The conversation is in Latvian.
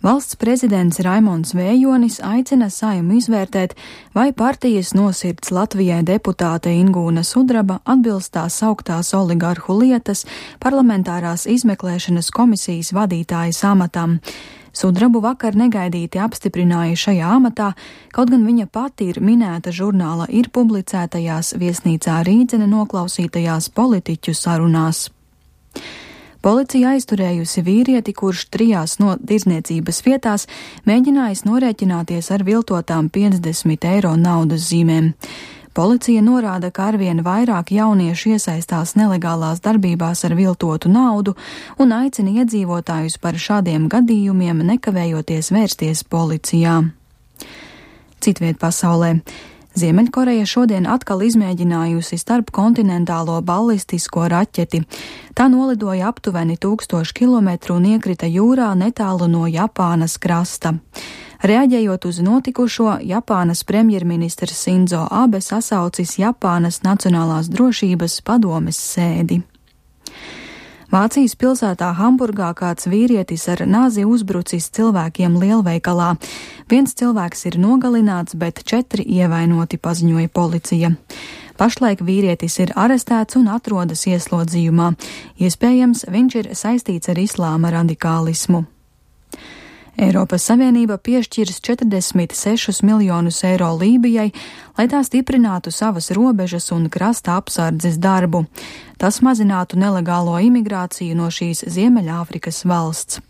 Valsts prezidents Raimonds Vējonis aicina Saeimu izvērtēt, vai partijas nosirds Latvijai deputāte Ingūna Sudraba atbilst tās sauktās oligarhu lietas parlamentārās izmeklēšanas komisijas vadītājas amatam. Sudrabu vakar negaidīti apstiprināja šajā amatā, kaut gan viņa pati ir minēta žurnāla Ir publicētajās viesnīcā Rīdzene noklausītajās politiķu sarunās. Policija aizturējusi vīrieti, kurš 3 no tirzniecības vietās mēģinājis norēķināties ar viltotām 50 eiro naudas zīmēm. Policija norāda, ka arvien vairāk jauniešu iesaistās nelegālās darbībās ar viltotu naudu un aicina iedzīvotājus par šādiem gadījumiem nekavējoties vērsties policijā. Citviet pasaulē. Ziemeļkoreja šodien atkal izmēģinājusi starpkontinentālo ballistisko raķeti. Tā nolidoja aptuveni 1000 kilometru un iekrita jūrā netālu no Japānas krasta. Reaģējot uz notikušo, Japānas premjerministrs Sinzo Abe sasaucis Japānas Nacionālās drošības padomes sēdi. Vācijas pilsētā Hamburgā kāds vīrietis ar nāzi uzbrucis cilvēkiem lielveikalā. 1 cilvēks ir nogalināts, bet 4 ievainoti, paziņoja policija. Pašlaik vīrietis ir arestēts un atrodas ieslodzījumā. Iespējams, viņš ir saistīts ar islāma radikālismu. Eiropas Savienība piešķirs 46 miljonus eiro Lībijai, lai tā stiprinātu savas robežas un krasta apsardzes darbu. Tas mazinātu nelegālo imigrāciju no šīs Ziemeļāfrikas valsts.